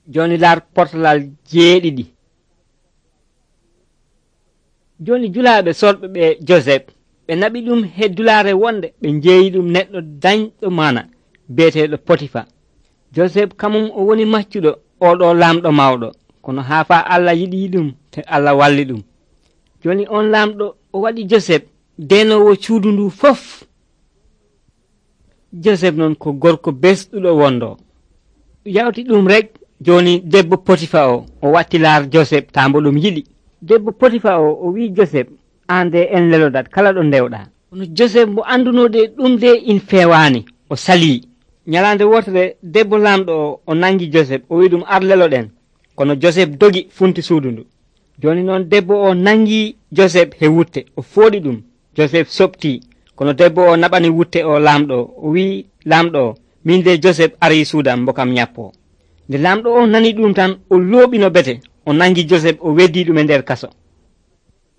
joni lar portalal 7. joni julaaɓe sorɓe ɓe Joseph ɓe naɓi ɗum he dulare wonde ɓe jeeyi ɗum neɗɗo dañɗo mana beeteɗo Potifa. Joseph kamum o woni maccuɗo oɗo lamɗo mawɗo, kono haa fa Allah yiɗi ɗum te Allah walli ɗum. joni on lamɗo o waɗi Joseph denowo cuudu ndu fof. Joseph non ko gorko besɗuɗo wondo. yawti ɗum rek joni debbo Potifa o wattilar Joseph tambo ɗum yiɗi. debbo Potifa o wi Joseph, an de en lelodat kala ɗo ndewɗa. kono Joseph mo andunode ɗum de in fewani o sali. nyalande wotere debbo lamɗo o nangi Joseph o wi ɗum ar leloɗen, kono Joseph dogi funti suudu ndu. joni noon debbo o nangi Joseph he wutte o fooɗi ɗum. Joseph sopti, kono debbo o naɓani wutte o lamɗo o wi lamɗo min de Joseph ari suudam mbokam nyappo. nde lamɗo o nani ɗum tan o looɓino bete o nangi Joseph o weddi ɗum e nder kaso.